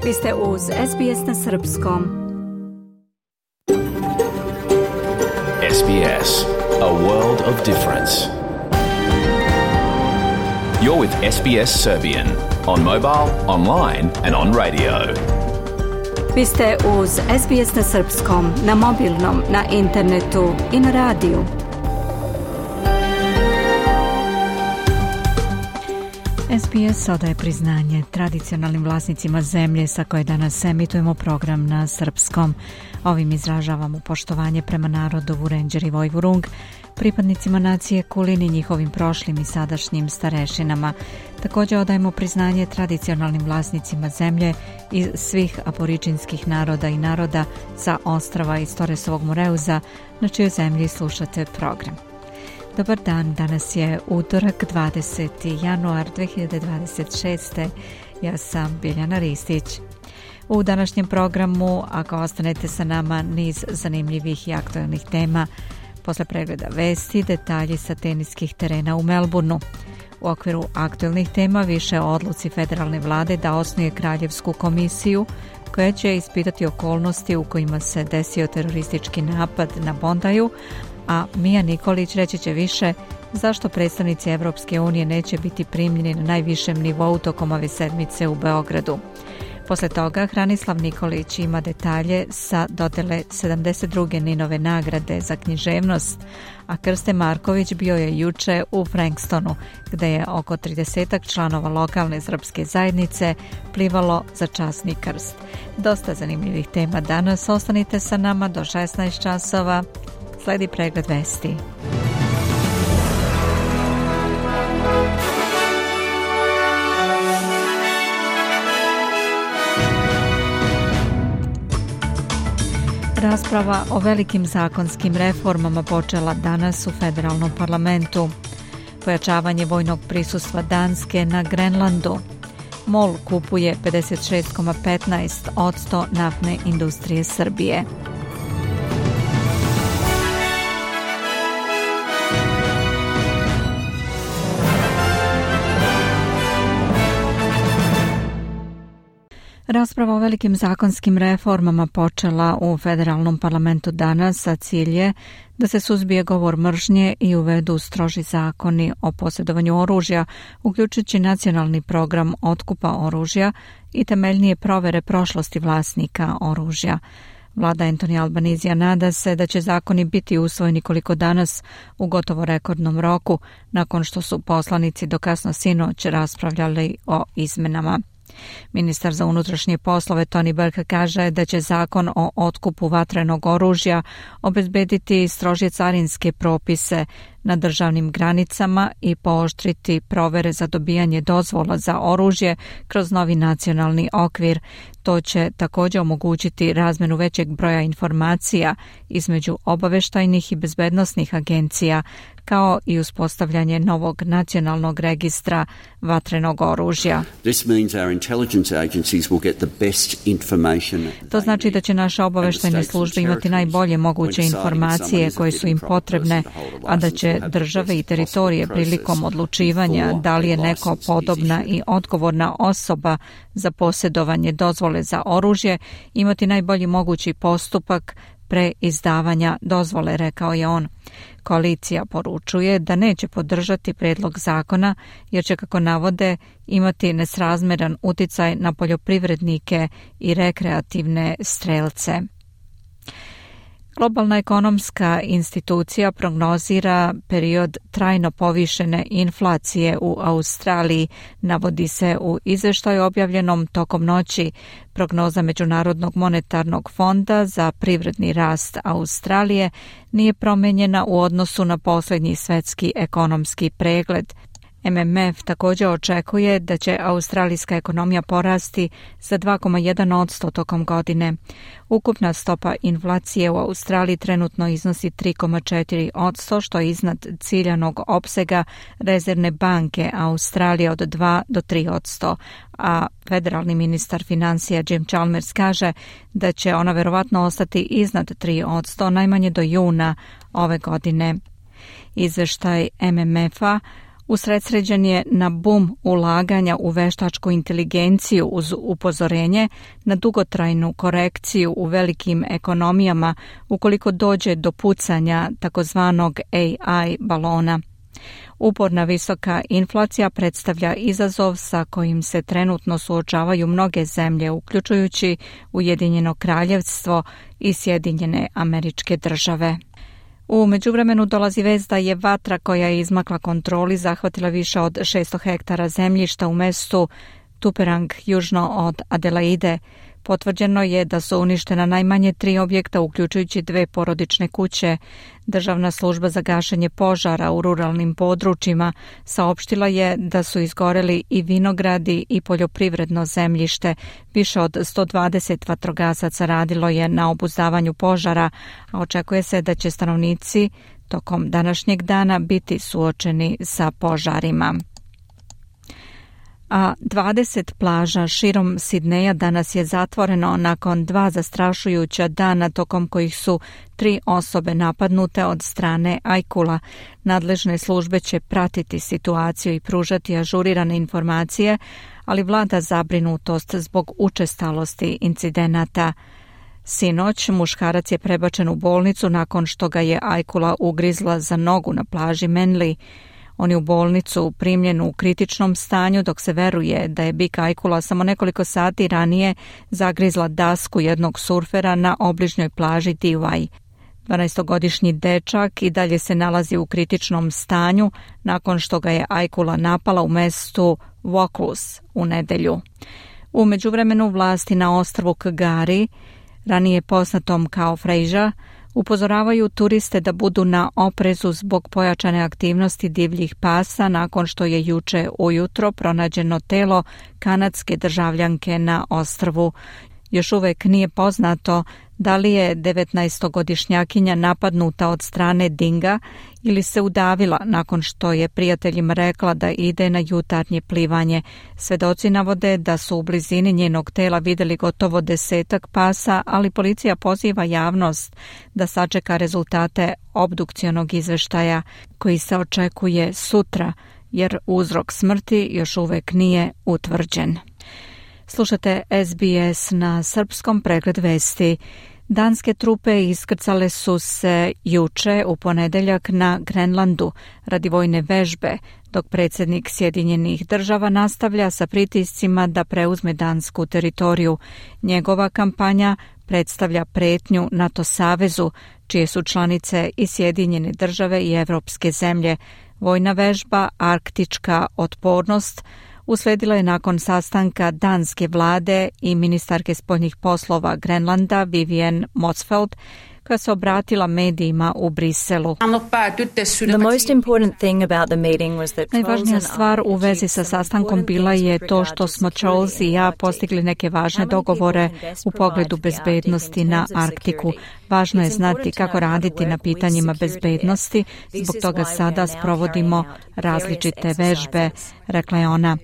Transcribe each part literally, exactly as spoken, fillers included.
Vi ste uz S B S na srpskom. S B S, a world of difference. You're with S B S Serbian on mobile, online and on radio. Vi ste uz S B S na srpskom, na mobilnom, na internetu i na radiju. S B S odaje priznanje tradicionalnim vlasnicima zemlje sa koje danas emitujemo program na srpskom. Ovim izražavamo poštovanje prema narodu Vurenđer i Vojvurung, pripadnicima nacije Kulin i njihovim prošlim i sadašnjim starešinama. Također odajemo priznanje tradicionalnim vlasnicima zemlje i svih aboriđinskih naroda i naroda sa ostrava iz Toresovog Moreuza, na čijoj zemlji slušate program. Dobar dan, danas je utorak, dvadeseti januar dve hiljade dvadeset šeste. Ja sam Biljana Ristić. U današnjem programu, ako ostanete sa nama, niz zanimljivih i aktualnih tema. Posle pregleda vesti, detalji sa teniskih terena u Melbourneu. U okviru aktualnih tema više o odluci federalne vlade da osnuje kraljevsku komisiju koja će ispitati okolnosti u kojima se desio teroristički napad na Bondaju, a Mija Nikolić reći će više zašto predstavnici Evropske unije neće biti primljeni na najvišem nivou tokom ove sedmice u Beogradu. Posle toga Hranislav Nikolić ima detalje sa dodele sedamdeset druge Ninove nagrade za književnost, a Krste Marković bio je juče u Frankstonu, gde je oko tridesetak članova lokalne srpske zajednice plivalo za časni krst. Dosta zanimljivih tema danas, ostanite sa nama do šesnaest časova. Sledi pregled vesti. Rasprava o velikim zakonskim reformama počela danas u federalnom parlamentu. Pojačavanje vojnog prisustva Danske na Grenlandu. MOL kupuje pedeset šest zarez petnaest posto naftne industrije Srbije. Rasprava o velikim zakonskim reformama počela u federalnom parlamentu danas, a cilj je da se suzbije govor mržnje i uvedu stroži zakoni o posjedovanju oružja, uključujući nacionalni program otkupa oružja i temeljnije provere prošlosti vlasnika oružja. Vlada Anthony Albanese nada se da će zakoni biti usvojeni koliko danas u gotovo rekordnom roku, nakon što su poslanici do kasno sinoć raspravljali o izmenama. Ministar za unutrašnje poslove Tony Burke kaže da će zakon o otkupu vatrenog oružja obezbediti strožije carinske propise na državnim granicama i pooštriti provere za dobijanje dozvola za oružje kroz novi nacionalni okvir. To će također omogućiti razmenu većeg broja informacija između obaveštajnih i bezbednosnih agencija, kao i uspostavljanje novog nacionalnog registra vatrenog oružja. To znači da će naše obaveštajne službe imati najbolje moguće informacije koje su im potrebne, a da će države i teritorije prilikom odlučivanja da li je neko podobna i odgovorna osoba za posjedovanje dozvole za oružje imati najbolji mogući postupak pre izdavanja dozvole, rekao je on. Koalicija poručuje da neće podržati predlog zakona jer će, kako navode, imati nesrazmeran uticaj na poljoprivrednike i rekreativne strelce. Globalna ekonomska institucija prognozira period trajno povišene inflacije u Australiji, navodi se u izveštaju objavljenom tokom noći. Prognoza Međunarodnog monetarnog fonda za privredni rast Australije nije promenjena u odnosu na posljednji svetski ekonomski pregled. M M F također očekuje da će australijska ekonomija porasti za dva zarez jedan posto tokom godine. Ukupna stopa inflacije u Australiji trenutno iznosi tri zarez četiri posto, što je iznad ciljanog opsega Rezervne banke Australije od dva do tri posto, a federalni ministar financija Jim Chalmers kaže da će ona verovatno ostati iznad tri posto najmanje do juna ove godine. Izveštaj M M F-a Usredsređen je na bum ulaganja u veštačku inteligenciju uz upozorenje na dugotrajnu korekciju u velikim ekonomijama ukoliko dođe do pucanja takozvanog A I balona. Uporna visoka inflacija predstavlja izazov sa kojim se trenutno suočavaju mnoge zemlje, uključujući Ujedinjeno kraljevstvo i Sjedinjene Američke Države. U međuvremenu dolazi vest da je vatra koja je izmakla kontroli zahvatila više od šesto hektara zemljišta u mestu Tuperang južno od Adelaide. Potvrđeno je da su uništena najmanje tri objekta, uključujući dve porodične kuće. Državna služba za gašenje požara u ruralnim područjima saopštila je da su izgoreli i vinogradi i poljoprivredno zemljište. Više od sto dvadeset vatrogasaca radilo je na obuzdavanju požara, a očekuje se da će stanovnici tokom današnjeg dana biti suočeni sa požarima. A dvadeset plaža širom Sidneja danas je zatvoreno nakon dva zastrašujuća dana tokom kojih su tri osobe napadnute od strane ajkula. Nadležne službe će pratiti situaciju i pružati ažurirane informacije, ali vlada zabrinutost zbog učestalosti incidenata. Sinoć muškarac je prebačen u bolnicu nakon što ga je ajkula ugrizla za nogu na plaži Manly. On je u bolnicu primljen u kritičnom stanju, dok se veruje da je bik ajkula samo nekoliko sati ranije zagrizla dasku jednog surfera na obližnjoj plaži Tiwai. dvanaestogodišnji dečak i dalje se nalazi u kritičnom stanju nakon što ga je ajkula napala u mestu Vaucluse u nedelju. U međuvremenu vlasti na ostrvu K'gari, ranije poznatom kao Frejža, upozoravaju turiste da budu na oprezu zbog pojačane aktivnosti divljih pasa nakon što je juče ujutro pronađeno telo kanadske državljanke na ostrvu. Još uvek nije poznato da li je devetnaestogodišnjakinja napadnuta od strane dinga ili se udavila nakon što je prijateljima rekla da ide na jutarnje plivanje. Svedoci navode da su u blizini njenog tela vidjeli gotovo desetak pasa, ali policija poziva javnost da sačeka rezultate obdukcionog izveštaja koji se očekuje sutra, jer uzrok smrti još uvek nije utvrđen. Slušate S B S na srpskom, pregled vesti. Danske trupe iskrcale su se juče u ponedeljak na Grenlandu radi vojne vežbe, dok predsjednik Sjedinjenih država nastavlja sa pritiscima da preuzme dansku teritoriju. Njegova kampanja predstavlja pretnju NATO savezu, čije su članice i Sjedinjene države i evropske zemlje. Vojna vežba Arktička otpornost usledila je nakon sastanka danske vlade i ministarke spoljnih poslova Grenlanda Vivienne Motzfeldt, koja se obratila medijima u Briselu. Najvažnija stvar u vezi sa sastankom bila je to što smo Charles i ja postigli neke važne dogovore u pogledu bezbednosti na Arktiku. Važno je znati kako raditi na pitanjima bezbednosti, zbog toga sada sprovodimo različite vežbe, rekla je ona.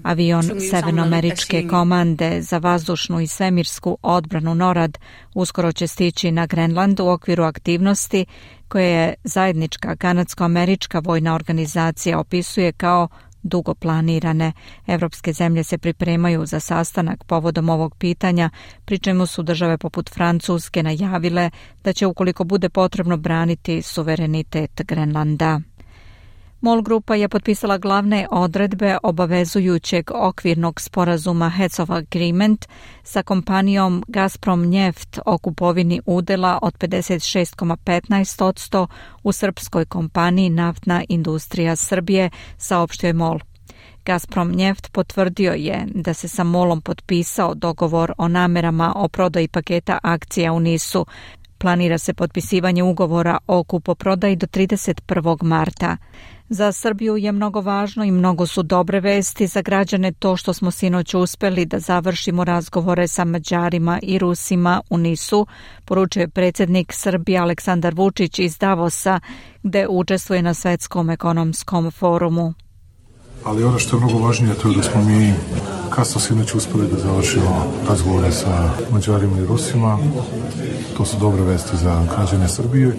Avion Severnoameričke komande za vazdušnu i svemirsku odbranu NORAD uskoro će stići na Grenland u okviru aktivnosti koje je zajednička kanadsko-američka vojna organizacija opisuje kao dugo planirane. Evropske zemlje se pripremaju za sastanak povodom ovog pitanja, pri čemu su države poput Francuske najavile da će ukoliko bude potrebno braniti suverenitet Grenlanda. MOL grupa je potpisala glavne odredbe obavezujućeg okvirnog sporazuma Heads of Agreement sa kompanijom Gazprom Neft o kupovini udela od pedeset šest zarez petnaest posto u srpskoj kompaniji Naftna industrija Srbije, saopštio je MOL. Gazprom Neft potvrdio je da se sa MOL-om potpisao dogovor o namerama o prodaji paketa akcija u Nisu. Planira se potpisivanje ugovora o kupoprodaji do trideset prvog marta. Za Srbiju je mnogo važno i mnogo su dobre vesti za građane to što smo sinoć uspeli da završimo razgovore sa Mađarima i Rusima u Nisu, poručuje predsjednik Srbije Aleksandar Vučić iz Davosa, gde učestvuje na Svetskom ekonomskom forumu. Ali ono što je mnogo važnije to je da smo mi kasno sinoć uspeli da završimo razgovore sa Mađarima i Rusima. To su dobre vesti za građane Srbije.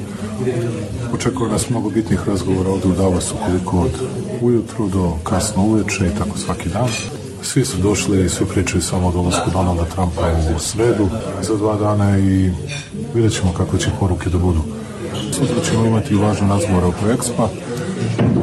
Očekuje nas mnogo bitnih razgovora ovde u Davosu, koliko od ujutru do kasno uveče i tako svaki dan. Svi su došli i svi pričaju samo o dolasku Donalda Trumpa u sredu za dva dana i vidjet ćemo kako će poruke da budu. Sutra ćemo imati važan razgovor oko Expa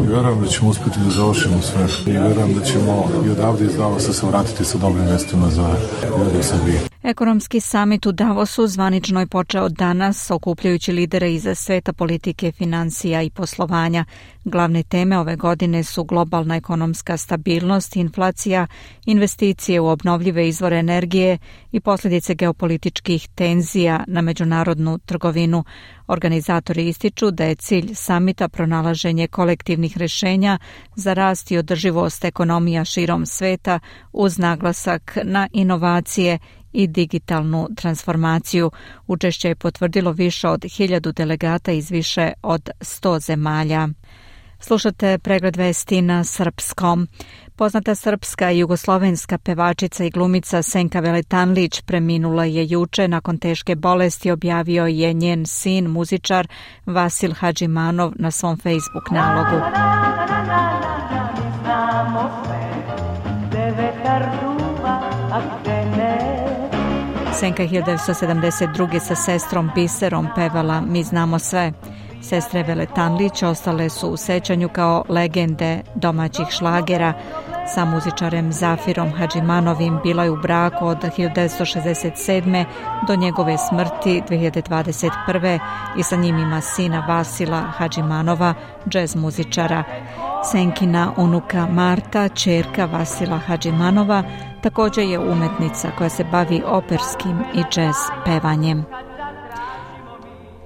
i vjerujem da ćemo uspjeti da završimo sve i vjerujem da ćemo i odavde iz Davosa se vratiti sa dobrim vestima za ljude u Srbiji. Ekonomski samit u Davosu zvanično je počeo danas, okupljajući lidere iz sveta politike, financija i poslovanja. Glavne teme ove godine su globalna ekonomska stabilnost, inflacija, investicije u obnovljive izvore energije i posljedice geopolitičkih tenzija na međunarodnu trgovinu. Organizatori ističu da je cilj samita pronalaženje kolektivnih rješenja za rast i održivost ekonomija širom sveta uz naglasak na inovacije i digitalnu transformaciju. Učešće je potvrdilo više od hiljadu delegata iz više od sto zemalja. Slušate pregled vesti na srpskom. Poznata srpska i jugoslovenska pevačica i glumica Senka Veletanlić preminula je juče nakon teške bolesti, objavio je njen sin, muzičar Vasil Hadžimanov na svom Facebook nalogu. Senka je hiljadu devetsto sedamdeset druge sa sestrom Biserom pevala Mi znamo sve. Sestre Veletanlić ostale su u sećanju kao legende domaćih šlagera. Sa muzičarem Zafirom Hadžimanovim bila je u braku od hiljadu devetsto šezdeset sedme do njegove smrti dve hiljade dvadeset prve i sa njim ima sina Vasila Hadžimanova, džez muzičara. Senkina unuka Marta, ćerka Vasila Hadžimanova, također je umetnica koja se bavi operskim i džez pevanjem.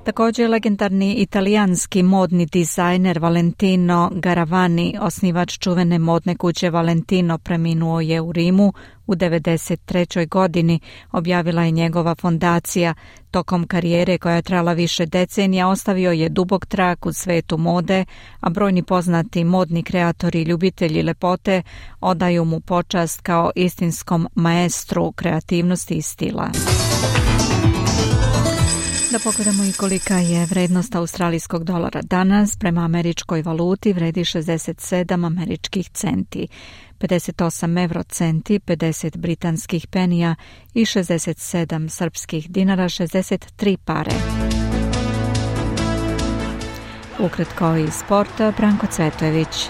Također legendarni italijanski modni dizajner Valentino Garavani, osnivač čuvene modne kuće Valentino, preminuo je u Rimu u devedeset trećoj godini, objavila je njegova fondacija. Tokom karijere koja je trajala više decenija ostavio je dubok trag u svetu mode, a brojni poznati modni kreatori i ljubitelji lepote odaju mu počast kao istinskom maestru kreativnosti i stila. Da pogledamo i kolika je vrednost australijskog dolara danas. Prema američkoj valuti vredi šezdeset sedam američkih centi, pedeset osam evrocenti, pedeset britanskih penija i šezdeset sedam srpskih dinara, šezdeset tri pare. Ukratko iz sporta, Branko Cvetojević.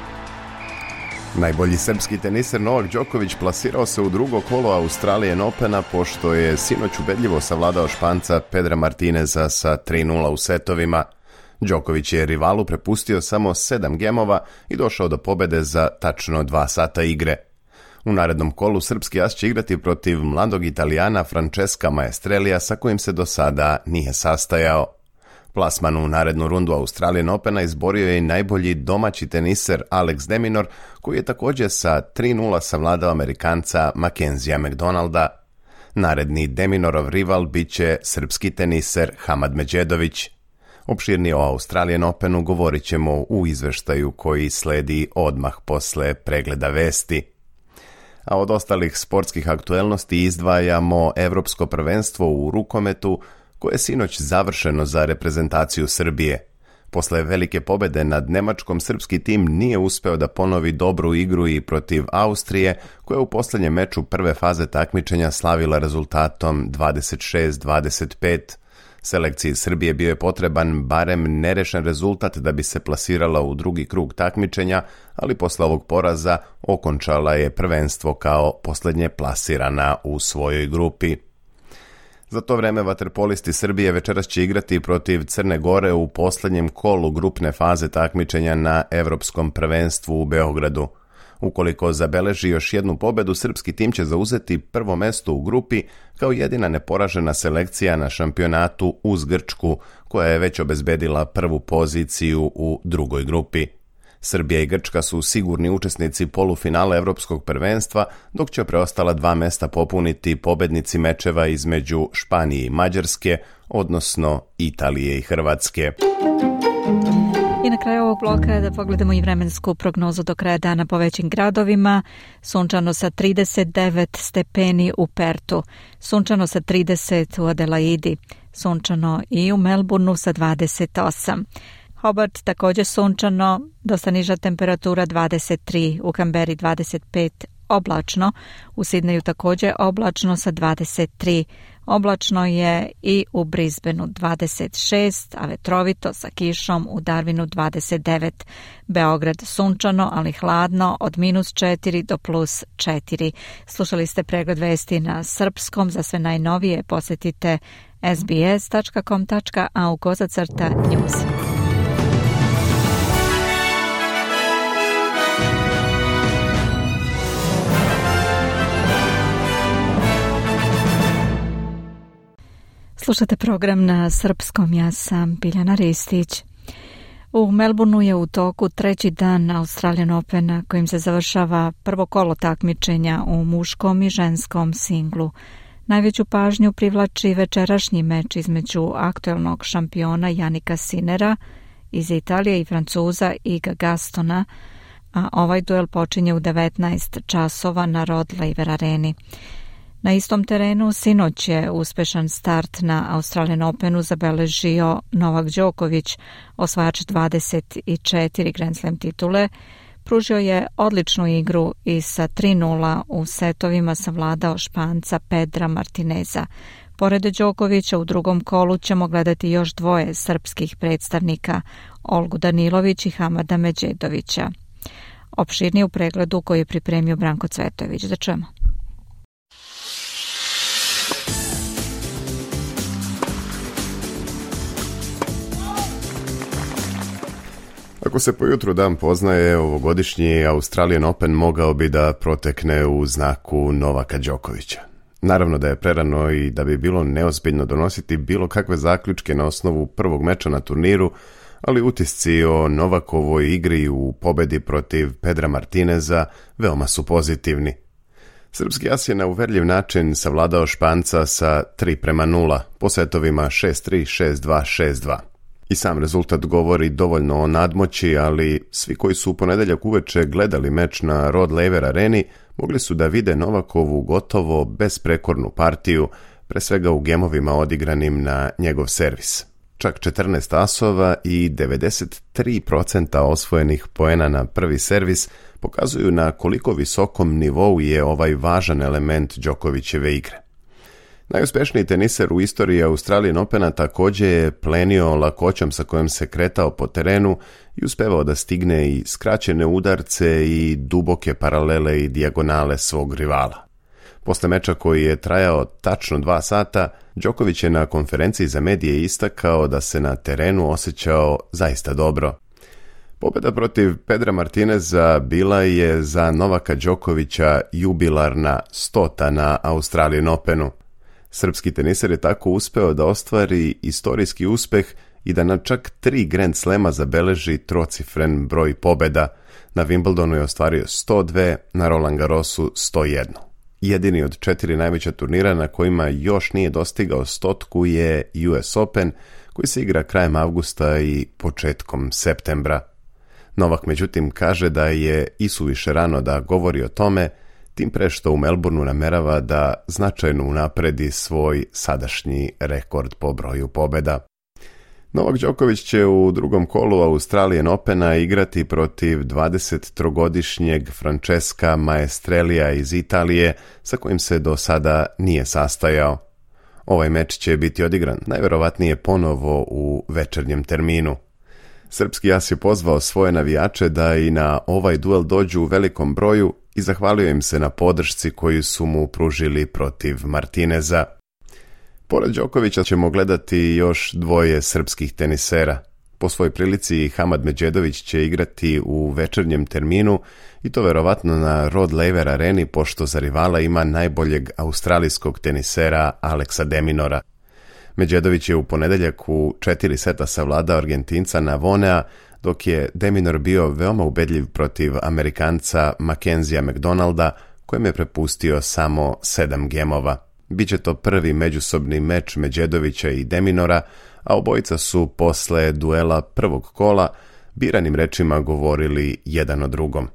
Najbolji srpski teniser Novak Đoković plasirao se u drugo kolo Australian Opena pošto je sinoć ubedljivo savladao Španca Pedra Martineza sa tri nula u setovima. Đoković je rivalu prepustio samo sedam gemova i došao do pobede za tačno dva sata igre. U narednom kolu srpski as će igrati protiv mladog Italijana Francesca Maestrelija sa kojim se do sada nije sastajao. Plasman u narednu rundu Australian Opena izborio je i najbolji domaći teniser Alex de Minaur, koji je također sa tri nula savladao Amerikanca Mackenzija McDonalda. Naredni de Minaurov rival bit će srpski teniser Hamad Medjedović. Opširnije o Australian Openu govorit ćemo u izveštaju koji sledi odmah posle pregleda vesti. A od ostalih sportskih aktuelnosti izdvajamo Evropsko prvenstvo u rukometu, koje je sinoć završeno za reprezentaciju Srbije. Posle velike pobede nad Nemačkom, srpski tim nije uspeo da ponovi dobru igru i protiv Austrije, koja je u posljednjem meču prve faze takmičenja slavila rezultatom dvadeset šest dvadeset pet. Selekciji Srbije bio je potreban barem nerešen rezultat da bi se plasirala u drugi krug takmičenja, ali posle ovog poraza okončala je prvenstvo kao posljednje plasirana u svojoj grupi. Za to vreme vaterpolisti Srbije večeras će igrati protiv Crne Gore u posljednjem kolu grupne faze takmičenja na Evropskom prvenstvu u Beogradu. Ukoliko zabeleži još jednu pobedu, srpski tim će zauzeti prvo mesto u grupi kao jedina neporažena selekcija na šampionatu uz Grčku, koja je već obezbedila prvu poziciju u drugoj grupi. Srbija i Grčka su sigurni učesnici polufinala Evropskog prvenstva, dok će preostala dva mesta popuniti pobednici mečeva između Španije i Mađarske, odnosno Italije i Hrvatske. na kraju ovog bloka da pogledamo i vremensku prognozu do kraja dana po većim gradovima. Sunčano sa trideset devet stepeni u Pertu, sunčano sa trideset u Adelaidi, sunčano i u Melbourneu sa dvadeset osam. Hobart također sunčano, dosta niža temperatura dvadeset tri, u Kamberi dvadeset pet, oblačno, u Sidneju također oblačno sa dvadeset tri, oblačno je i u Brisbaneu dvadeset šest, a vetrovito sa kišom u Darwinu dvadeset devet. Beograd sunčano, ali hladno od minus četiri do plus četiri. Slušali ste pregled vesti na srpskom. Za sve najnovije posjetite s b s tačka com tačka a u kozacrta news. Slušate program na srpskom, ja sam Biljana Ristić. U Melbourneu je u toku treći dan Australian Opena kojim se završava prvo kolo takmičenja u muškom i ženskom singlu. Najveću pažnju privlači večerašnji meč između aktuelnog šampiona Jannika Sinnera iz Italije i Francuza Iga Gastona, a ovaj duel počinje u devetnaest časova na Rod Laver areni. Na istom terenu sinoć je uspešan start na Australian Openu zabeležio Novak Đoković, osvajač dvadeset četiri Grand Slam titule. Pružio je odličnu igru i sa tri nula u setovima savladao Španca Pedra Martineza. Pored Đokovića u drugom kolu ćemo gledati još dvoje srpskih predstavnika, Olgu Danilović i Hamada Medžedovića. Opširnije u pregledu koji je pripremio Branko Cvetojević. Da čujemo. Ako se po jutru dan poznaje, ovogodišnji Australian Open mogao bi da protekne u znaku Novaka Đokovića. Naravno da je prerano i da bi bilo neozbiljno donositi bilo kakve zaključke na osnovu prvog meča na turniru, ali utisci o Novakovoj igri u pobedi protiv Pedra Martineza veoma su pozitivni. Srpski as je na uverljiv način savladao Španca sa tri prema nula, po setovima šest tri, šest dva, šest dva. I sam rezultat govori dovoljno o nadmoći, ali svi koji su u ponedeljak uveče gledali meč na Rod Laver areni mogli su da vide Novakovu gotovo besprekornu partiju, pre svega u gemovima odigranim na njegov servis. Čak četrnaest asova i devedeset tri posto osvojenih poena na prvi servis pokazuju na koliko visokom nivou je ovaj važan element Đokovićeve igre. Najuspješniji teniser u istoriji Australian Opena također je plenio lakoćom sa kojom se kretao po terenu i uspevao da stigne i skraćene udarce i duboke paralele i dijagonale svog rivala. Posle meča koji je trajao tačno dva sata, Đoković je na konferenciji za medije istakao da se na terenu osjećao zaista dobro. Pobjeda protiv Pedra Martineza bila je za Novaka Đokovića jubilarna stota na Australian Openu. Srpski teniser je tako uspeo da ostvari istorijski uspeh i da na čak tri Grand Slema zabeleži trocifren broj pobjeda. Na Wimbledonu je ostvario sto dva, na Roland Garrosu sto jedan. Jedini od četiri najveća turnira na kojima još nije dostigao stotku je U S Open, koji se igra krajem avgusta i početkom septembra. Novak međutim kaže da je isuviše rano da govori o tome, tim pre što u Melbourneu namerava da značajno unapredi svoj sadašnji rekord po broju pobjeda. Novak Đoković će u drugom kolu Australian Opena igrati protiv dvadesettrogodišnjeg Francesca Maestrelija iz Italije, sa kojim se do sada nije sastajao. Ovaj meč će biti odigran najverovatnije ponovo u večernjem terminu. Srpski as je pozvao svoje navijače da i na ovaj duel dođu u velikom broju i zahvalio im se na podršci koju su mu pružili protiv Martineza. Pored Đokovića ćemo gledati još dvoje srpskih tenisera. Po svojoj prilici Hamad Medžedović će igrati u večernjem terminu i to verovatno na Rod Laver areni, pošto za rivala ima najboljeg australijskog tenisera Aleksa de Minaura. Medžedović je u ponedeljak u četiri seta savladao Argentinca Navonea, dok je de Minaur bio veoma ubedljiv protiv Amerikanca Mackenzija McDonalda, kojem je prepustio samo sedam gemova. Biće to prvi međusobni meč Medžedovića i de Minaura, a obojica su posle duela prvog kola biranim rečima govorili jedan o drugom.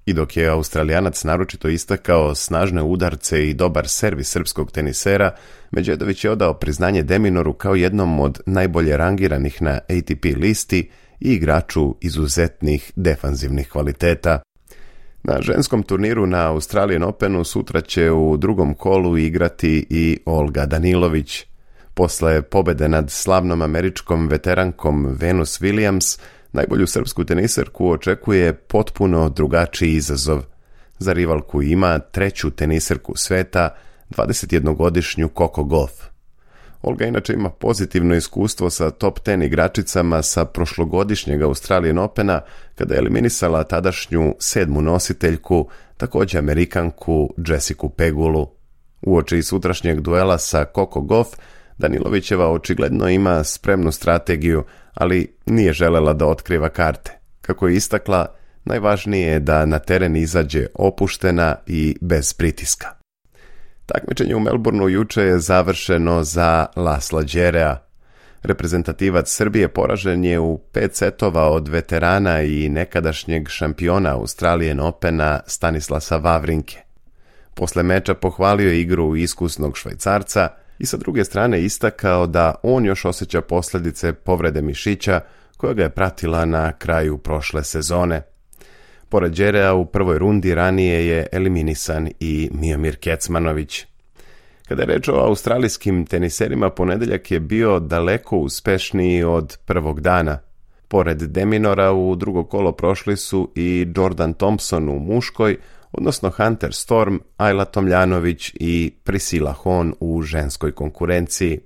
I dok je Australijanac naročito istakao snažne udarce i dobar servis srpskog tenisera, Medžedović je odao priznanje Deminoru kao jednom od najbolje rangiranih na A T P listi i igraču izuzetnih defanzivnih kvaliteta. Na ženskom turniru na Australian Openu sutra će u drugom kolu igrati i Olga Danilović. Posle pobede nad slavnom američkom veterankom Venus Williams, najbolju srpsku teniserku očekuje potpuno drugačiji izazov. Za rivalku ima treću teniserku sveta, dvadesetjednogodišnju Coco Gauff. Olga inače ima pozitivno iskustvo sa top ten igračicama sa prošlogodišnjeg Australian Opena, kada je eliminisala tadašnju sedmu nositeljku, također Amerikanku Jessicu Pegulu. Uoči sutrašnjeg duela sa Coco Gauff, Danilovićeva očigledno ima spremnu strategiju, ali nije želela da otkriva karte. Kako je istakla, najvažnije je da na teren izađe opuštena i bez pritiska. Takmičenje u Melbourneu juče je završeno za Lasla Đerea. Reprezentativac Srbije poražen je u pet setova od veterana i nekadašnjeg šampiona Australian Opena Stanislasa Wawrinke. Posle meča pohvalio je igru iskusnog Švajcarca i sa druge strane istakao da on još osjeća posljedice povrede mišića koja ga je pratila na kraju prošle sezone. Pored Đerea u prvoj rundi ranije je eliminisan i Miomir Kecmanović. Kada je reč o australijskim teniserima, ponedeljak je bio daleko uspešniji od prvog dana. Pored Deminora u drugo kolo prošli su i Jordan Thompson u muškoj, odnosno Hunter Storm, Ajla Tomljanović i Priscilla Hon u ženskoj konkurenciji.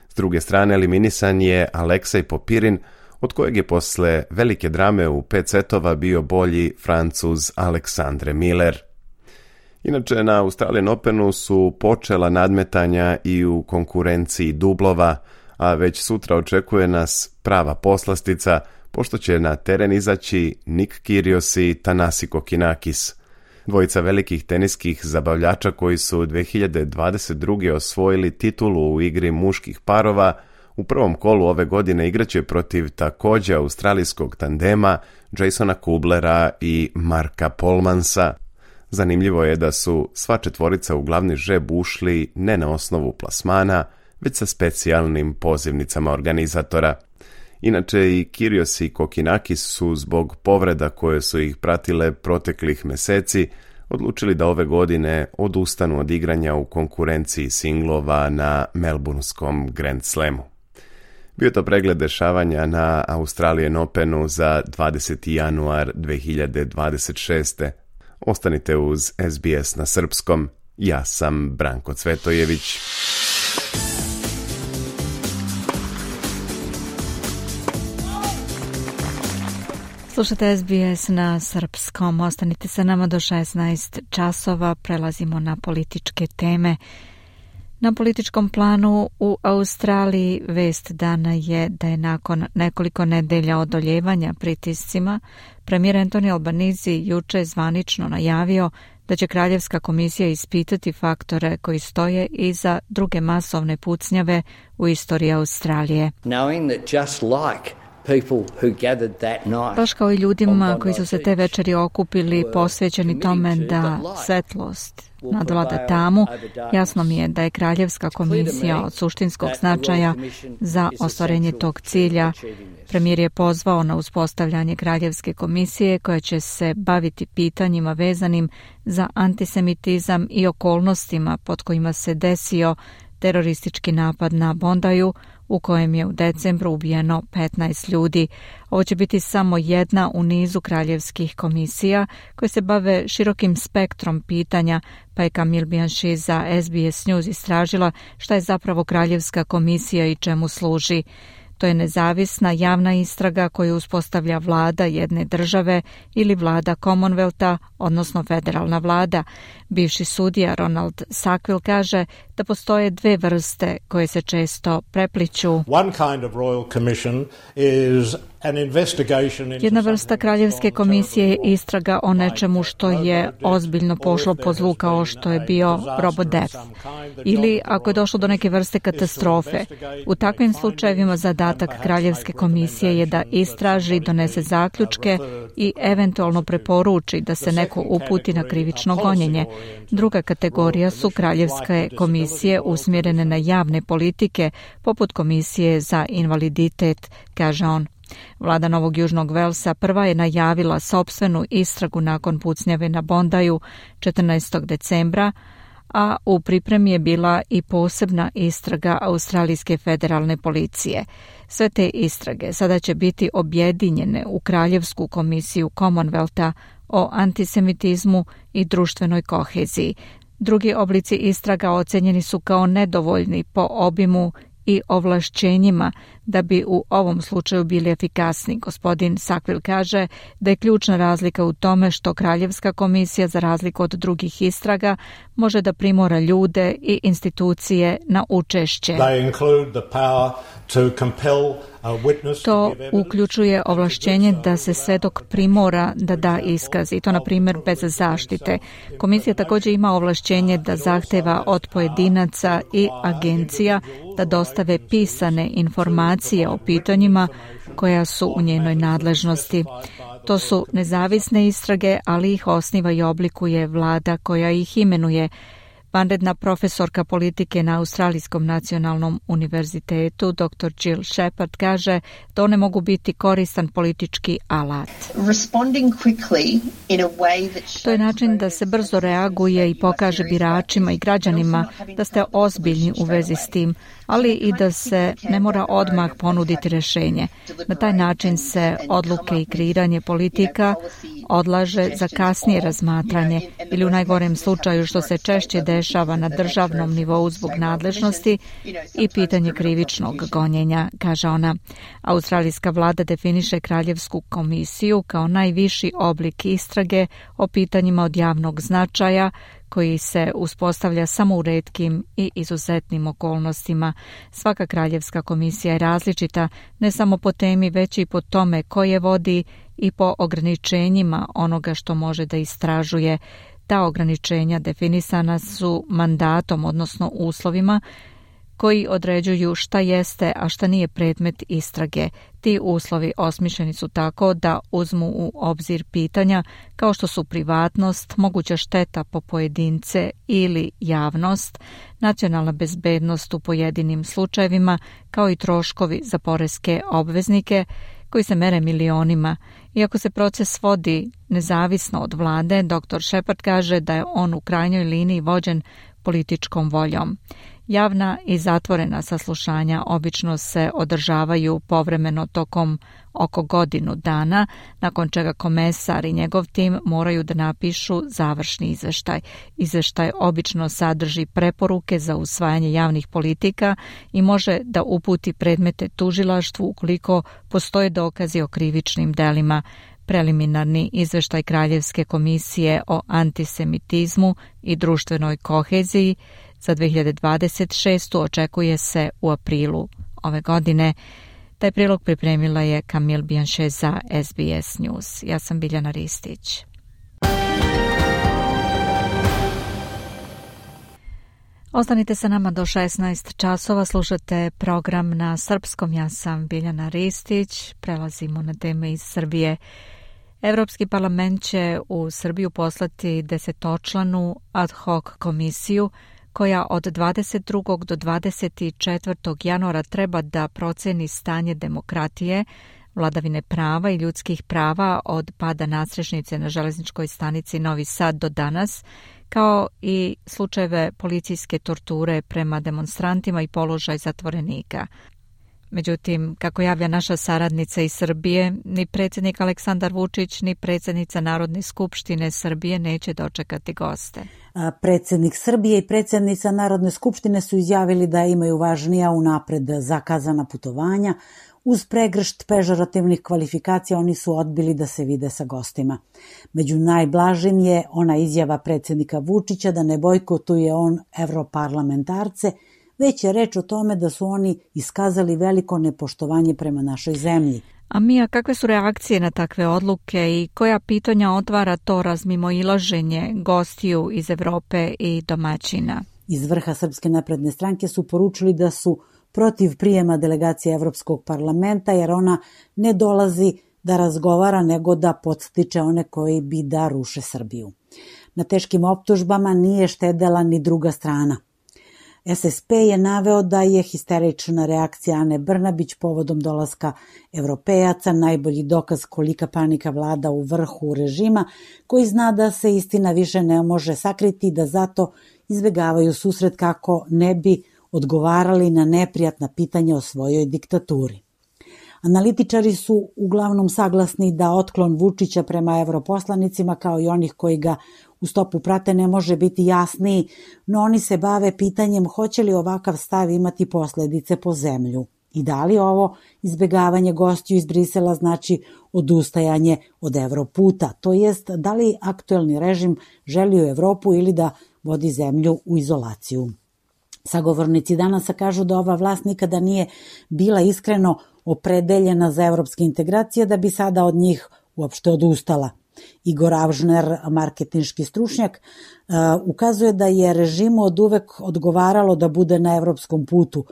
S druge strane eliminisan je Aleksej Popirin, od kojeg je posle velike drame u pet setova bio bolji Francuz Alexandre Miller. Inače, na Australian Openu su počela nadmetanja i u konkurenciji dublova, a već sutra očekuje nas prava poslastica, pošto će na teren izaći Nick Kyrgios i Thanasi Kokinakis. Dvojica velikih teniskih zabavljača koji su dve hiljade dvadeset druge osvojili titulu u igri muških parova, u prvom kolu ove godine igraće protiv također australijskog tandema Jasona Kublera i Marka Polmansa. Zanimljivo je da su sva četvorica u glavni žreb ušli ne na osnovu plasmana, već sa specijalnim pozivnicama organizatora. Inače i Kyrgios i Kokinakis su zbog povreda koje su ih pratile proteklih meseci odlučili da ove godine odustanu od igranja u konkurenciji singlova na Melbourneskom Grand Slamu. Bio to pregled dešavanja na Australian Openu za dvadeseti januar dve hiljade dvadeset šeste. Ostanite uz S B S na srpskom. Ja sam Branko Cvetojević. Slušate S B S na srpskom. Ostanite sa nama do šesnaest časova. Prelazimo na političke teme. Na političkom planu u Australiji vest dana je da je nakon nekoliko nedelja odoljevanja pritiscima premijer Anthony Albanese juče zvanično najavio da će Kraljevska komisija ispitati faktore koji stoje iza druge masovne pucnjave u istoriji Australije. Knowing that just like Baš kao i ljudima koji su se te večeri okupili posvećeni tome da svetlost nadvlada tamu, jasno mi je da je Kraljevska komisija od suštinskog značaja za ostvarenje tog cilja. Premijer je pozvao na uspostavljanje Kraljevske komisije koja će se baviti pitanjima vezanim za antisemitizam i okolnostima pod kojima se desio teroristički napad na Bondaju, u kojem je u decembru ubijeno petnaest ljudi. Ovo će biti samo jedna u nizu kraljevskih komisija koje se bave širokim spektrom pitanja, pa je Camille Bianchi za S B S News istražila šta je zapravo Kraljevska komisija i čemu služi. To je nezavisna javna istraga koju uspostavlja vlada jedne države ili vlada Commonwealtha, odnosno federalna vlada. Bivši sudija Ronald Sackville kaže da postoje dve vrste koje se često prepliću. One kind of royal commission is Jedna vrsta kraljevske komisije je istraga o nečemu što je ozbiljno pošlo po zlu kao što je bio RoboDeath. Ili ako je došlo do neke vrste katastrofe. U takvim slučajevima zadatak kraljevske komisije je da istraži, donese zaključke i eventualno preporuči da se neko uputi na krivično gonjenje. Druga kategorija su kraljevske komisije usmjerene na javne politike, poput komisije za invaliditet, kaže on. Vlada Novog Južnog Velsa prva je najavila sopstvenu istragu nakon pucnjave na Bondaju četrnaestog decembra, a u pripremi je bila i posebna istraga Australijske federalne policije. Sve te istrage sada će biti objedinjene u Kraljevsku komisiju Commonwealtha o antisemitizmu i društvenoj koheziji. Drugi oblici istraga ocenjeni su kao nedovoljni po obimu i ovlašćenjima da bi u ovom slučaju bili efikasni. Gospodin Sackville kaže da je ključna razlika u tome što Kraljevska komisija, za razliku od drugih istraga, može da primora ljude i institucije na učešće. To uključuje ovlašćenje da se svedok primora da da iskaz, i to na primjer bez zaštite. Komisija također ima ovlašćenje da zahteva od pojedinaca i agencija da dostave pisane informacije o pitanjima koja su u njenoj nadležnosti. To su nezavisne istrage, ali ih osniva i oblikuje vlada koja ih imenuje. Vanredna profesorka politike na Australijskom nacionalnom univerzitetu doktor Jill Shepard kaže da one mogu biti koristan politički alat. To je način da se brzo reaguje i pokaže biračima i građanima da ste ozbiljni u vezi s tim, ali i da se ne mora odmah ponuditi rješenje. Na taj način se odluke i kreiranje politika odlaže za kasnije razmatranje ili u najgorem slučaju, što se češće dešava na državnom nivou zbog nadležnosti, i pitanje krivičnog gonjenja, kaže ona. Australijska vlada definiše Kraljevsku komisiju kao najviši oblik istrage o pitanjima od javnog značaja koji se uspostavlja samo u retkim i izuzetnim okolnostima. Svaka Kraljevska komisija je različita ne samo po temi, već i po tome ko je vodi i po ograničenjima onoga što može da istražuje. Ta ograničenja definisana su mandatom, odnosno uslovima koji određuju šta jeste, a šta nije predmet istrage. Ti uslovi osmišljeni su tako da uzmu u obzir pitanja kao što su privatnost, moguća šteta po pojedince ili javnost, nacionalna bezbednost u pojedinim slučajevima, kao i troškovi za poreske obveznike koji se mere milionima. Iako se proces vodi nezavisno od vlade, doktor Shepard kaže da je on u krajnjoj liniji vođen političkom voljom. Javna i zatvorena saslušanja obično se održavaju povremeno tokom oko godinu dana, nakon čega komesar i njegov tim moraju da napišu završni izveštaj. Izveštaj obično sadrži preporuke za usvajanje javnih politika i može da uputi predmete tužilaštvu ukoliko postoje dokazi o krivičnim delima. Preliminarni izveštaj Kraljevske komisije o antisemitizmu i društvenoj koheziji za dve hiljade dvadeset šestu očekuje se u aprilu ove godine. Taj prilog pripremila je Camille Bianchet za S B S News. Ja sam Biljana Ristić. Ostanite sa nama do šesnaest časova, slušate program na srpskom. Ja sam Biljana Ristić. Prelazimo na teme iz Srbije. Evropski parlament će u Srbiju poslati desetočlanu ad hoc komisiju koja od dvadeset drugog do dvadeset četvrtog januara treba da proceni stanje demokratije, vladavine prava i ljudskih prava od pada nadstrešnice na železničkoj stanici Novi Sad do danas, kao i slučajeve policijske torture prema demonstrantima i položaj zatvorenika. Međutim, kako javlja naša saradnica iz Srbije, ni predsjednik Aleksandar Vučić, ni predsjednica Narodne skupštine Srbije neće dočekati goste. Predsjednik Srbije i predsjednica Narodne skupštine su izjavili da imaju važnija unapred zakazana putovanja. Uz pregršt pežorativnih kvalifikacija oni su odbili da se vide sa gostima. Među najblažim je ona izjava predsjednika Vučića da ne bojkotuje on evroparlamentarce, već je reč o tome da su oni iskazali veliko nepoštovanje prema našoj zemlji. A Mija, kakve su reakcije na takve odluke i koja pitanja otvara to razmimoilaženje gostiju iz Evrope i domaćina? Iz vrha Srpske napredne stranke su poručili da su protiv prijema delegacije Evropskog parlamenta, jer ona ne dolazi da razgovara, nego da podstiče one koji bi da ruše Srbiju. Na teškim optužbama nije štedela ni druga strana. S S P je naveo da je histerična reakcija Ane Brnabić povodom dolaska evropejaca najbolji dokaz kolika panika vlada u vrhu režima, koji zna da se istina više ne može sakriti i da zato izbegavaju susret kako ne bi odgovarali na neprijatna pitanja o svojoj diktaturi. Analitičari su uglavnom saglasni da otklon Vučića prema evroposlanicima, kao i onih koji ga u stopu prate, ne može biti jasniji, no oni se bave pitanjem hoće li ovakav stav imati posledice po zemlju i da li ovo izbegavanje gostiju iz Brisela znači odustajanje od Evroputa, to jest da li aktuelni režim želi u Evropu ili da vodi zemlju u izolaciju. Sagovornici danas kažu da ova vlast nikada nije bila iskreno opredeljena za evropske integracije, da bi sada od njih uopšte odustala. Igor Avžner, marketinški stručnjak, ukazuje da je režimu od uvek odgovaralo da bude na evropskom putu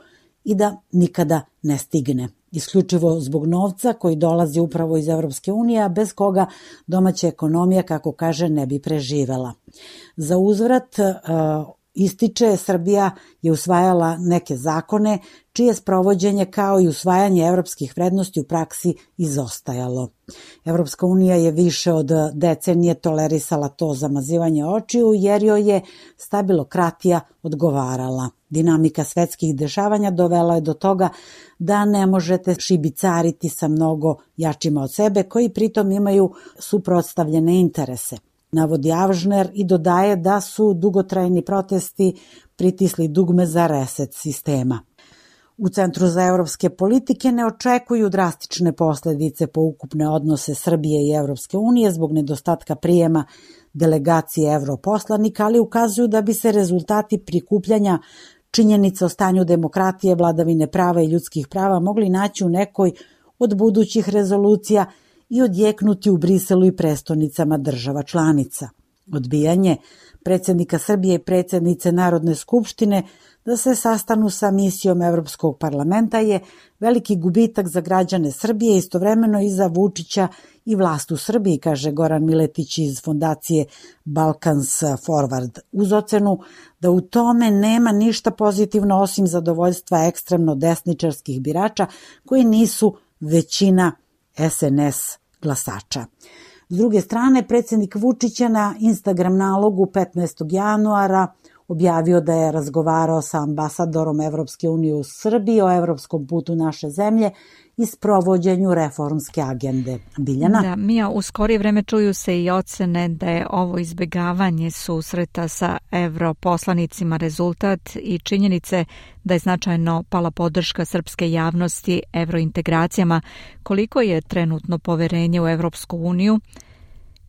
i da nikada ne stigne. Isključivo zbog novca koji dolazi upravo iz Evropske unije, a bez koga domaća ekonomija, kako kaže, ne bi preživela. Za uzvrat, ističe, Srbija je usvajala neke zakone čije sprovođenje kao i usvajanje evropskih vrednosti u praksi izostajalo. Evropska unija je više od decenije tolerisala to zamazivanje očiju jer joj je stabilokratija odgovarala. Dinamika svetskih dešavanja dovela je do toga da ne možete šibicariti sa mnogo jačima od sebe koji pritom imaju suprotstavljene interese. Navodi Avžner i dodaje da su dugotrajni protesti pritisli dugme za reset sistema. U Centru za evropske politike ne očekuju drastične posledice po ukupne odnose Srbije i Evropske unije zbog nedostatka prijema delegacije evroposlanika, ali ukazuju da bi se rezultati prikupljanja činjenica o stanju demokratije, vladavine prava i ljudskih prava mogli naći u nekoj od budućih rezolucija i odjeknuti u Briselu i prestonicama država članica. Odbijanje predsjednika Srbije i predsjednice Narodne skupštine da se sastanu sa misijom Evropskog parlamenta je veliki gubitak za građane Srbije, istovremeno i za Vučića i vlast u Srbiji, kaže Goran Miletić iz fondacije Balkans Forward, uz ocenu da u tome nema ništa pozitivno osim zadovoljstva ekstremno desničarskih birača koji nisu većina S N S glasača. S druge strane, predsjednik Vučić je na Instagram nalogu petnaestog januara objavio da je razgovarao sa ambasadorom Evropske unije u Srbiji o evropskom putu naše zemlje i sprovođenju reformske agende. Biljana? Da, Mija, u skorije vreme čuju se i ocene da je ovo izbegavanje susreta sa evroposlanicima rezultat i činjenice da je značajno pala podrška srpske javnosti evrointegracijama. Koliko je trenutno poverenje u Evropsku uniju,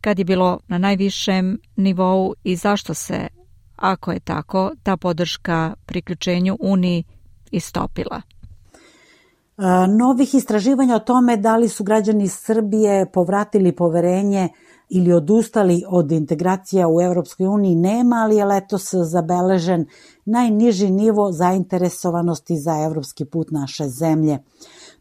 kad je bilo na najvišem nivou i zašto se, ako je tako, ta podrška priključenju Uniji istopila? Novih istraživanja o tome da li su građani Srbije povratili poverenje ili odustali od integracija u Evropskoj uniji nema, ali je letos zabeležen najniži nivo zainteresovanosti za evropski put naše zemlje.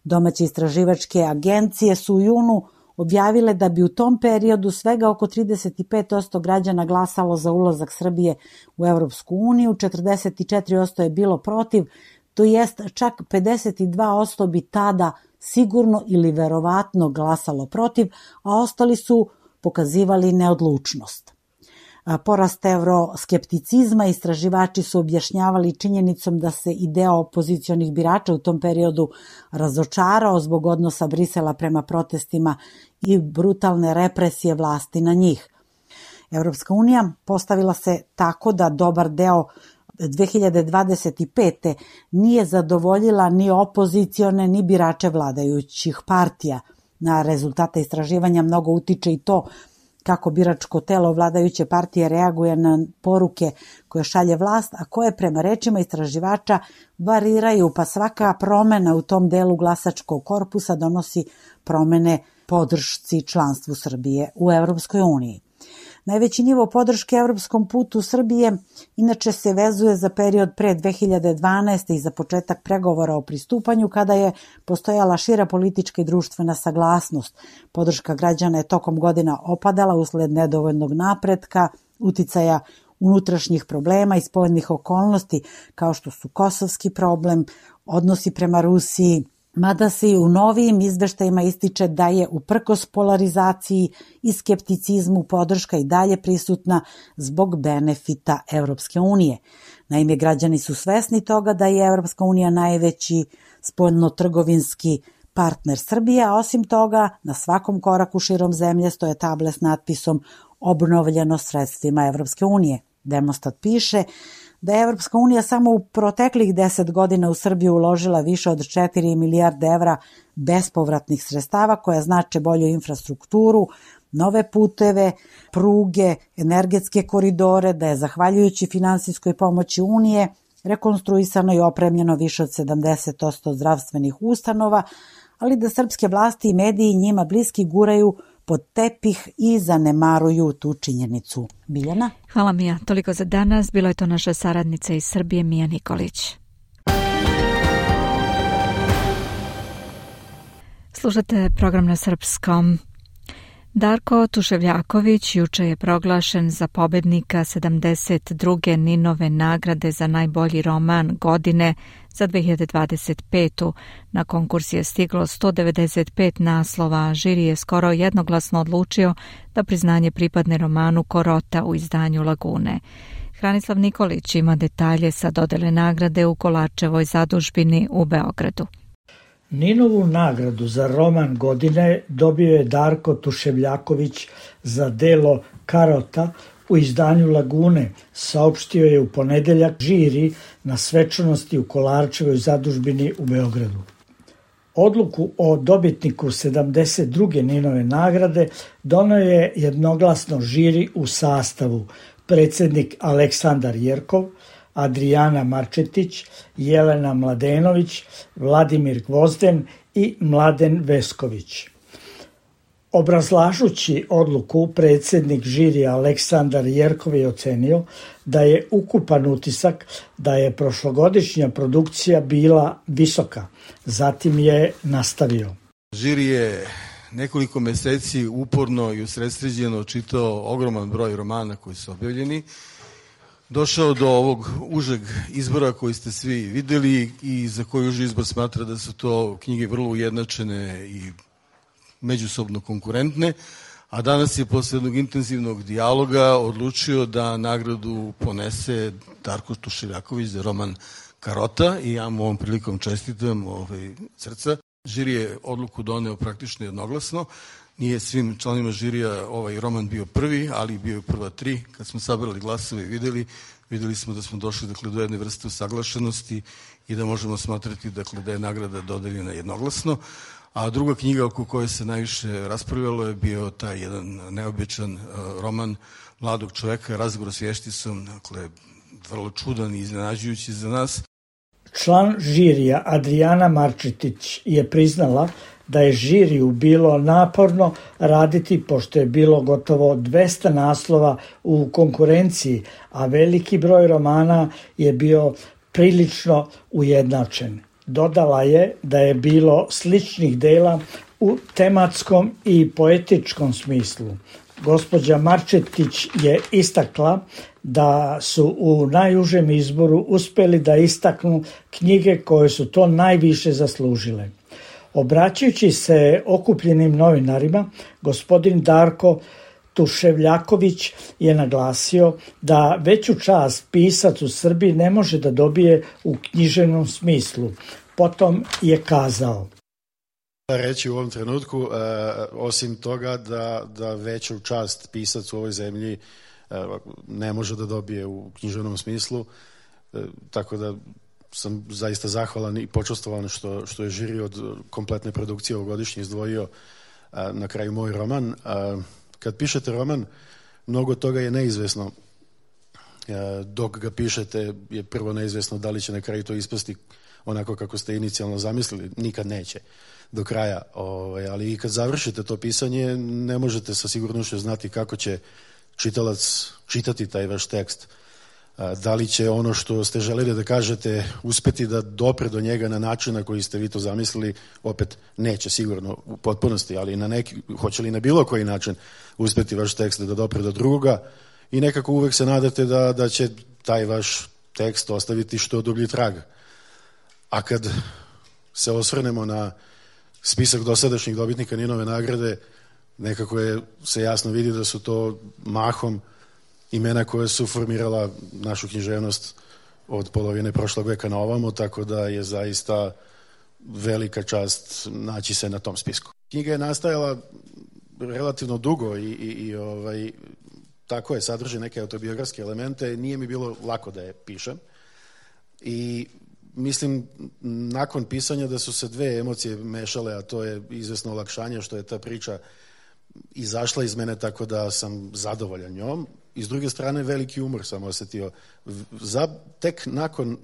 Domaće istraživačke agencije su u junu objavile da bi u tom periodu svega oko trideset pet posto građana glasalo za ulazak Srbije u Evropsku uniju, četrdeset četiri posto je bilo protiv, to jest čak pedeset dva posto bi tada sigurno ili verovatno glasalo protiv, a ostali su pokazivali neodlučnost. Porast evroskepticizma istraživači su objašnjavali činjenicom da se i deo opozicionih birača u tom periodu razočarao zbog odnosa Brisela prema protestima i brutalne represije vlasti na njih. Evropska unija postavila se tako da dobar deo dve hiljade dvadeset pete. nije zadovoljila ni opozicione ni birače vladajućih partija. Na rezultate istraživanja mnogo utiče i to kako biračko telo vladajuće partije reaguje na poruke koje šalje vlast, a koje prema rečima istraživača variraju, pa svaka promena u tom delu glasačkog korpusa donosi promene podršci članstvu Srbije u Evropskoj uniji. Najveći nivo podrške evropskom putu Srbije inače se vezuje za period pre dve hiljade dvanaeste. i za početak pregovora o pristupanju, kada je postojala šira politička i društvena saglasnost. Podrška građana je tokom godina opadala usled nedovoljnog napretka, uticaja unutrašnjih problema i spoljnih okolnosti, kao što su kosovski problem, odnosi prema Rusiji, mada se i u novijim izveštajima ističe da je uprkos polarizaciji i skepticizmu podrška i dalje prisutna zbog benefita Evropske unije. Naime, građani su svesni toga da je Evropska unija najveći spoljnotrgovinski partner Srbije, a osim toga na svakom koraku širom zemlje stoje table s natpisom obnovljeno sredstvima Evropske unije. Demostat piše da je Evropska unija samo u proteklih deset godina u Srbiju uložila više od četiri milijarde evra bespovratnih sredstava koja znače bolju infrastrukturu, nove puteve, pruge, energetske koridore, da je zahvaljujući finansijskoj pomoći Unije rekonstruisano i opremljeno više od sedamdeset posto zdravstvenih ustanova, ali da srpske vlasti i mediji njima bliski guraju pod tepih i zanemaruju tu činjenicu. Biljana? Hvala Mija, toliko za danas. Bilo je to naša saradnica iz Srbije, Mija Nikolić. Slušate program na srpskom. Darko Tuševljaković juče je proglašen za pobednika sedamdeset druge Ninove nagrade za najbolji roman godine za dve hiljade dvadeset petu. Na konkurs je stiglo sto devedeset pet naslova. Žiri je skoro jednoglasno odlučio da priznanje pripadne romanu Korota u izdanju Lagune. Hranislav Nikolić ima detalje sa dodele nagrade u Kolarčevoj zadužbini u Beogradu. Ninovu nagradu za roman godine dobio je Darko Tuševljaković za delo Karota u izdanju Lagune, saopštio je u ponedeljak žiri na svečanosti u Kolarčevoj zadužbini u Beogradu. Odluku o dobitniku sedamdeset druge Ninove nagrade doneo je jednoglasno žiri u sastavu predsjednik Aleksandar Jerkov, Adrijana Marčetić, Jelena Mladenović, Vladimir Gvozden i Mladen Vesković. Obrazlažući odluku, predsjednik žirija Aleksandar Jerkov je ocenio da je ukupan utisak da je prošlogodišnja produkcija bila visoka. Zatim je nastavio. Žiri je nekoliko meseci uporno i usredsređeno čitao ogroman broj romana koji su objavljeni. Došao do ovog užeg izbora koji ste svi videli i za koji uži izbor smatra da su to knjige vrlo ujednačene i međusobno konkurentne, a danas je posle jednog intenzivnog dijaloga odlučio da nagradu ponese Darko Tuševljaković za roman Karota i ja mu ovom prilikom čestitam ovaj, srca. Žiri je odluku doneo praktično jednoglasno. Nije svim članima žirija ovaj roman bio prvi, ali bio je prva tri. Kad smo sabrali glasove i videli, videli smo da smo došli dakle, do jedne vrste usaglašenosti i da možemo smatrati dakle, da je nagrada dodeljena jednoglasno. A druga knjiga oko koje se najviše raspravljalo je bio taj jedan neobičan uh, roman mladog čoveka, Razgovor s vješticom, dakle, vrlo čudan i iznenađujući za nas. Član žirija Adrijana Marčetić je priznala da je žiriju bilo naporno raditi pošto je bilo gotovo dvesta naslova u konkurenciji, a veliki broj romana je bio prilično ujednačen. Dodala je da je bilo sličnih dela u tematskom i poetičkom smislu. Gospođa Marčetić je istakla da su u najužem izboru uspeli da istaknu knjige koje su to najviše zaslužile. Obraćajući se okupljenim novinarima, gospodin Darko Tuševljaković je naglasio da veću čast pisac u Srbiji ne može da dobije u književnom smislu. Potom je kazao: reći u ovom trenutku, e, osim toga da, da veću čast pisac u ovoj zemlji e, ne može da dobije u književnom smislu, e, tako da sam zaista zahvalan i počastovan što, što je žiri od kompletne produkcije ovogodišnje izdvojio a, na kraju moj roman. A, kad pišete roman, mnogo toga je neizvesno. Dok ga pišete je prvo neizvesno da li će na kraju to ispasti onako kako ste inicijalno zamislili, nikad neće do kraja, ovaj, ali i kad završite to pisanje ne možete sa sigurnošću znati kako će čitalac čitati taj vaš tekst. Da li će ono što ste želeli da kažete uspeti da dopre do njega na način na koji ste vi to zamislili, opet neće sigurno u potpunosti, ali na neki, hoće li na bilo koji način uspeti vaš tekst da dopre do drugoga i nekako uvek se nadate da, da će taj vaš tekst ostaviti što dublji trag. A kad se osvrnemo na spisak dosadašnjih dobitnika Ninove nagrade, nekako je, se jasno vidi da su to mahom imena koje su formirala našu književnost od polovine prošlog veka na ovamo, tako da je zaista velika čast naći se na tom spisku. Knjiga je nastajala relativno dugo i, i, i ovaj, tako je, sadrži neke autobiografske elemente, nije mi bilo lako da je pišem i mislim nakon pisanja da su se dve emocije mešale, a to je izvesno olakšanje što je ta priča izašla iz mene tako da sam zadovoljan njom i s druge strane veliki umor sam osetio. Za, tek nakon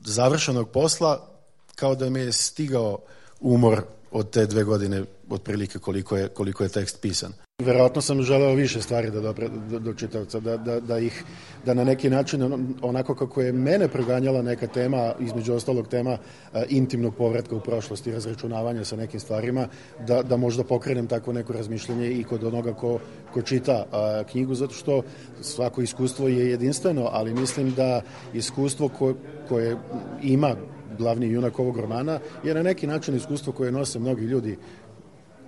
završenog posla kao da mi je stigao umor od te dve godine otprilike koliko je, koliko je tekst pisan. Verovatno sam želeo više stvari da dopre do, do čitavca, da, da, da ih, da na neki način onako kako je mene proganjala neka tema, između ostalog tema a, intimnog povratka u prošlost i razračunavanja sa nekim stvarima, da, da možda pokrenem tako neko razmišljanje i kod onoga ko, ko čita a, knjigu, zato što svako iskustvo je jedinstveno, ali mislim da iskustvo ko, koje ima glavni junak ovog romana je na neki način iskustvo koje nose mnogi ljudi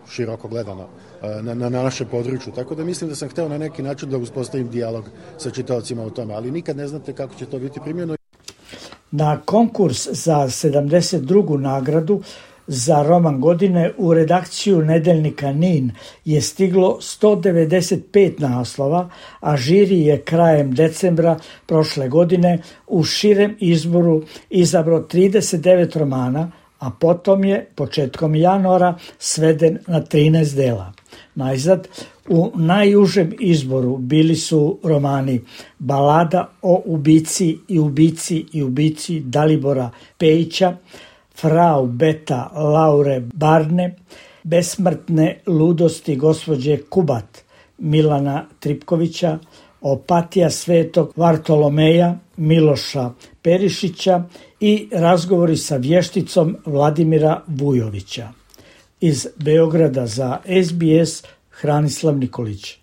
široko gledano na, na, na naše području. Tako da mislim da sam hteo na neki način da uspostavim dijalog sa čitaocima o tome, ali nikad ne znate kako će to biti primljeno. Na konkurs za sedamdeset drugu nagradu za roman godine u redakciju nedeljnika Nin je stiglo sto devedeset pet naslova, a žiri je krajem decembra prošle godine u širem izboru izabrao trideset devet romana, a potom je početkom januara sveden na trinaest dela. Najzad, u najužem izboru bili su romani Balada o ubici i ubici i ubici Dalibora Pejića, Frau Beta Laure Barne, Besmrtne ludosti gospođe Kubat Milana Tripkovića, Opatija svetog Vartolomeja Miloša Perišića i Razgovori sa vješticom Vladimira Vujovića. Iz Beograda za S B S Hranislav Nikolić.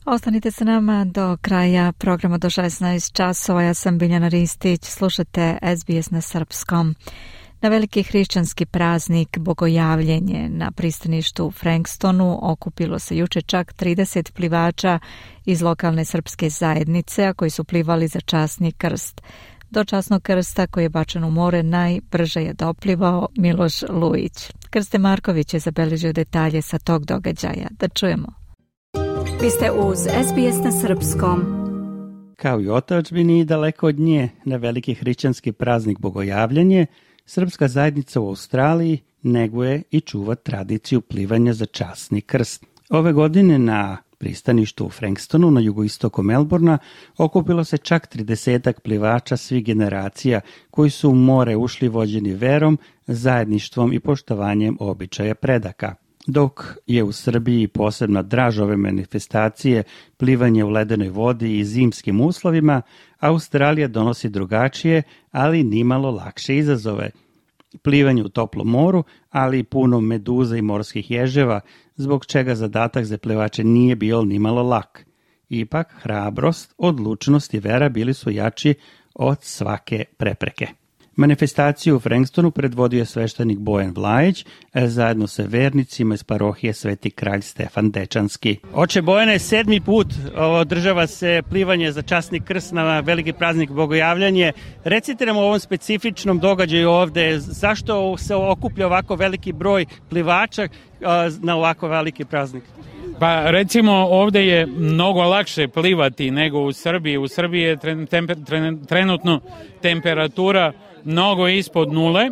Ostanite sa nama do kraja programa do šesnaest časova. Ja sam Biljana Ristić, slušate S B S na srpskom. Na veliki hrišćanski praznik Bogojavljenje na pristaništu u Frankstonu okupilo se juče čak trideset plivača iz lokalne srpske zajednice, a koji su plivali za časni krst. Do časnog krsta koji je bačen u more najbrže je doplivao Miloš Lujić. Krste Marković je zabeležio detalje sa tog događaja. Da čujemo. Vi ste uz S B S na srpskom. Kao i otadžbini daleko od nje, na veliki hrišćanski praznik Bogojavljenje, srpska zajednica u Australiji neguje i čuva tradiciju plivanja za časni krst. Ove godine na pristaništu u Frankstonu na jugoistoku Melbourna okupilo se čak tridesetak plivača svih generacija koji su u more ušli vođeni verom, zajedništvom i poštovanjem običaja predaka. Dok je u Srbiji posebna draž ove manifestacije plivanje u ledenoj vodi i zimskim uslovima, Australija donosi drugačije, ali nimalo lakše izazove. Plivanje u toplom moru, ali i puno meduza i morskih ježeva, zbog čega zadatak za plivače nije bio nimalo lak. Ipak, hrabrost, odlučnost i vera bili su jači od svake prepreke. Manifestaciju u Frankstonu predvodio je sveštenik Bojan Vlajić, zajedno sa vernicima iz parohije Sveti kralj Stefan Dečanski. Oče Bojane, sedmi put održava se plivanje za časni krst na veliki praznik Bogojavljanje. Recite nam o ovom specifičnom događaju ovde, zašto se okuplja ovako veliki broj plivača na ovako veliki praznik? Pa recimo ovde je mnogo lakše plivati nego u Srbiji. U Srbiji je trenutno temperatura mnogo ispod nule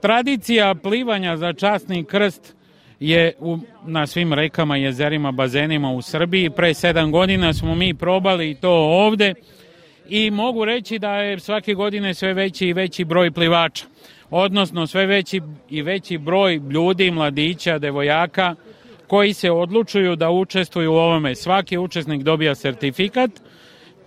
Tradicija plivanja za časni krst je u, na svim rekama, jezerima, bazenima u Srbiji. Pre sedam godina smo mi probali to ovde i mogu reći da je svake godine sve veći i veći broj plivača, odnosno sve veći i veći broj ljudi, mladića, devojaka koji se odlučuju da učestvuju u ovome. Svaki učesnik dobija sertifikat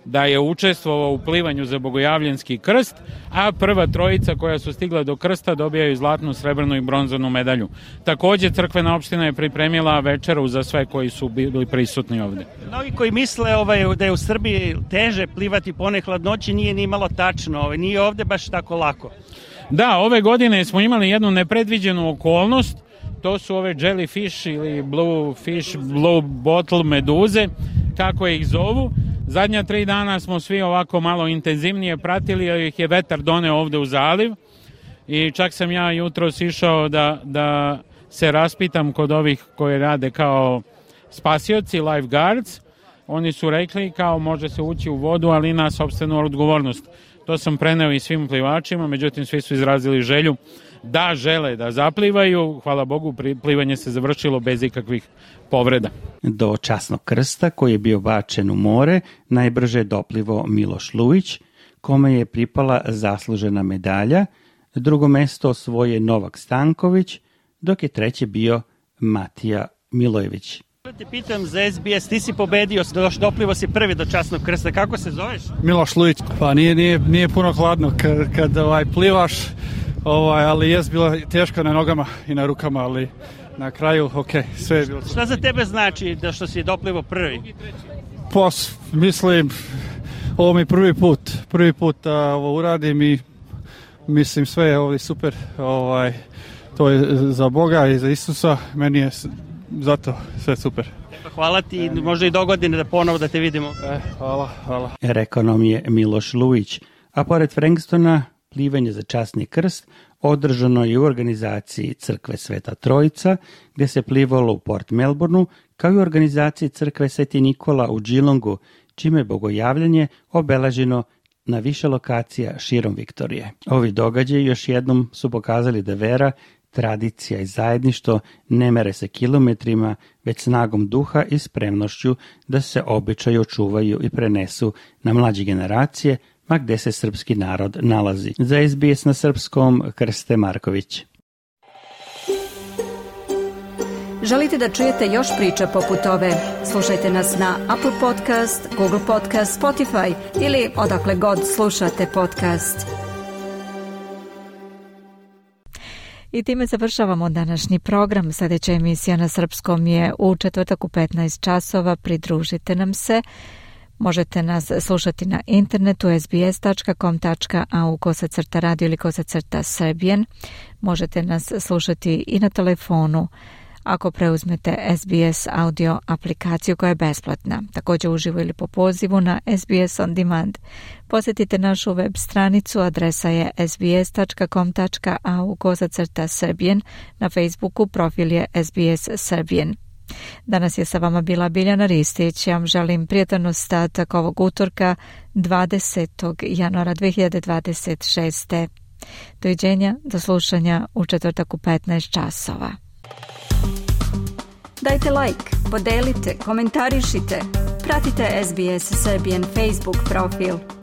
da je učestvovao u plivanju za bogojavljanski krst, a prva trojica koja su stigla do krsta dobijaju zlatnu, srebrnu i bronzanu medalju. Takođe, crkvena opština je pripremila večeru za sve koji su bili prisutni ovde. Mnogi koji misle ovaj, da je u Srbiji teže plivati po onoj hladnoći, nije ni malo tačno, ovaj, nije ovde baš tako lako. Da, ove godine smo imali jednu nepredviđenu okolnost, to su ove jellyfish ili blue fish, blue bottle meduze, kako ih zovu. Zadnja tri dana smo svi ovako malo intenzivnije pratili, jer ih je vetar doneo ovde u zaliv i čak sam ja jutros išao da, da se raspitam kod ovih koji rade kao spasioci, lifeguards. Oni su rekli kao može se ući u vodu, ali na sopstvenu odgovornost. To sam preneo i svim plivačima, međutim svi su izrazili želju da žele da zaplivaju. Hvala Bogu, plivanje se završilo bez ikakvih povreda. Do časnog krsta koji je bio bačen u more najbrže je doplivo Miloš Lujić, kome je pripala zaslužena medalja. Drugo mesto osvoje Novak Stanković, dok je treći bio Matija Milojević. Te pitam za S B S, ti si pobedio, doplivo si prvi do časnog krsta, kako se zoveš? Miloš Lujić. Pa nije, nije, nije puno hladno kad, kad ovaj, plivaš, ovaj, ali je bilo teško na nogama i na rukama, ali na kraju, ok, sve je bilo. Šta za tebe znači da što si doplivo prvi? Pos, mislim, ovo mi prvi put, prvi put a, ovo uradim i mislim sve je ovdje super, ovaj, to je za Boga i za Isusa, meni je zato sve super. Hvala ti, možda i do godine da ponovo da te vidimo. E, hvala, hvala. Rekao nam je Miloš Lujić, a pored Frankstona plivanje za časni krst održano je u organizaciji Crkve Sveta Trojica, gde se plivalo u Port Melbourneu, kao i u organizaciji Crkve Sveti Nikola u Geelongu, čime je bogojavljanje obeleženo na više lokacija širom Viktorije. Ovi događaji još jednom su pokazali da vera, tradicija i zajedništvo ne mere se kilometrima, već snagom duha i spremnošću da se običaji očuvaju i prenesu na mlađe generacije, ma gde se srpski narod nalazi. Za S B S na srpskom, Krste Marković. Želite da čujete još priča poput ove? Slušajte nas na Apple Podcast, Google Podcast, Spotify ili odakle god slušate podcast. I time završavamo današnji program. Sljedeća emisija na srpskom je u četvrtak u petnaest časova. Pridružite nam se. Možete nas slušati na internetu es be es tačka com tačka a u kosacrta radio ili kosacrta Serbian. Možete nas slušati i na telefonu ako preuzmete S B S audio aplikaciju koja je besplatna. Također uživo ili po pozivu na S B S On Demand. Posjetite našu web stranicu, adresa je es be es tačka com tačka a u kosacrta Serbian. Na Facebooku profil je S B S Serbian. Danas je sa vama bila Biljana Ristić. Ja vam želim prijatan ostatak ovog utorka dvadesetog januara dve hiljade dvadeset šeste. Doviđenja, do slušanja u četvrtak u petnaest časova. Dajte like, podelite, komentarišite. Pratite S B S Serbian Facebook profil.